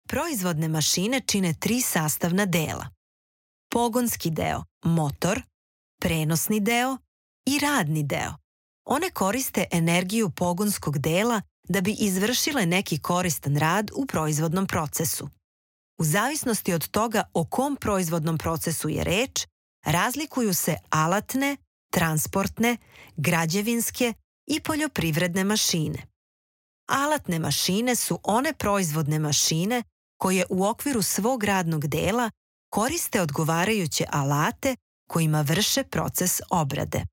Proizvodne mašine čine 3 sastavna dela. Pogonski deo, motor, prenosni deo i radni deo. One koriste energiju pogonskog dela da bi izvršile neki koristan rad u proizvodnom procesu. U zavisnosti od toga o kom proizvodnom procesu je reč, razlikuju se alatne, transportne, građevinske i poljoprivredne mašine. Alatne mašine su one proizvodne mašine koje u okviru svog radnog dela koriste odgovarajuće alate kojima vrše proces obrade.